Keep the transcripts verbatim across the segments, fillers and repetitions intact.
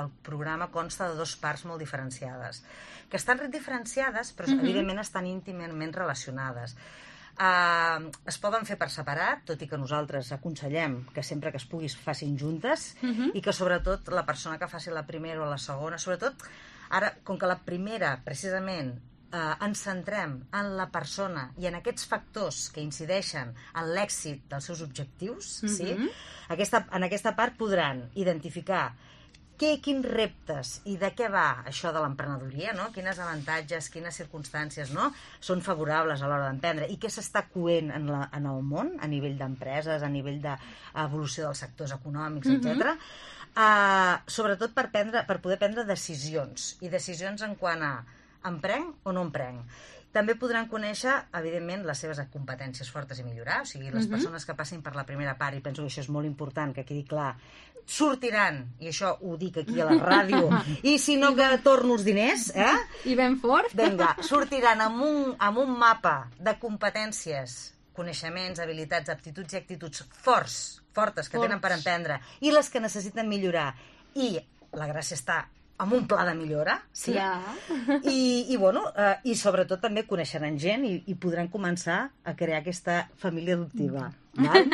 El programa consta de dues parts molt diferenciades, que estan diferenciades, però mm-hmm. evidentment estan íntimament relacionades. Uh, es poden fer per separat, tot i que nosaltres aconsellem que sempre que es pugui es facin juntes, mm-hmm. i que sobretot la persona que faci la primera o la segona, sobretot ara, com que la primera, precisament, Uh, ens centrem en la persona i en aquests factors que incideixen en l'èxit dels seus objectius, mm-hmm. sí? aquesta, en aquesta part podran identificar què, quins reptes i de què va això de l'emprenedoria, no? Quines avantatges, quines circumstàncies, no? Són favorables a l'hora d'emprendre i què s'està coent en, la, en el món a nivell d'empreses, a nivell d'evolució dels sectors econòmics, mm-hmm. etcètera. Uh, sobretot per, prendre, per poder prendre decisions, i decisions en quant a emprenc o no emprenc. També podran conèixer, evidentment, les seves competències fortes i millorar, o sigui, les uh-huh. persones que passin per la primera part, i penso que això és molt important, que quedi clar, sortiran, i això ho dic aquí a la ràdio, i si no que torno els diners, eh? I ben fort. Vinga, sortiran amb un, amb un mapa de competències, coneixements, habilitats, aptituds i actituds forts, fortes, que forts. Tenen per emprendre, i les que necessiten millorar. I la gràcia està amb un pla de millora, sí? Ja. I, i, bueno, eh, i sobretot també coneixeran gent i, i podran començar a crear aquesta família adoptiva. Val?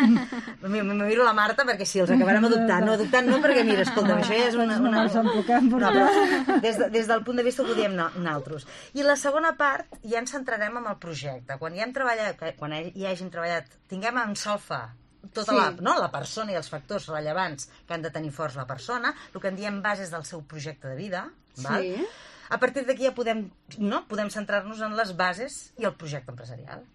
Me miro la Marta perquè si els acabarem adoptant, no adoptant no perquè mira, escolta, això ja és una... una... No, però des, de, des del punt de vista que ho diem nosaltres. I la segona part ja ens centrarem en el projecte. Quan ja hem treballat, quan hi hàgim treballat, tinguem en solfa tota sí. la, no? la persona i els factors rellevants que han de tenir forts la persona, el que en diem bases del seu projecte de vida, val? Sí. A partir d'aquí ja podem, no? podem centrar-nos en les bases i el projecte empresarial.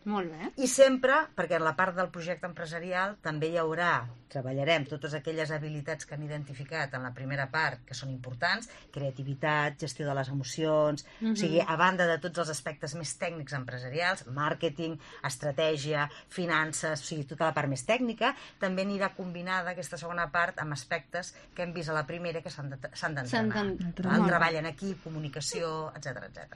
Molt bé. I sempre, perquè en la part del projecte empresarial també hi haurà, treballarem totes aquelles habilitats que han identificat en la primera part, que són importants, creativitat, gestió de les emocions, mm-hmm. o sigui, a banda de tots els aspectes més tècnics empresarials, màrqueting, estratègia, finances, o sigui, tota la part més tècnica, també anirà combinada aquesta segona part amb aspectes que hem vist a la primera que s'han d'entrenar. El treball en equip, comunicació, etcètera, etcètera.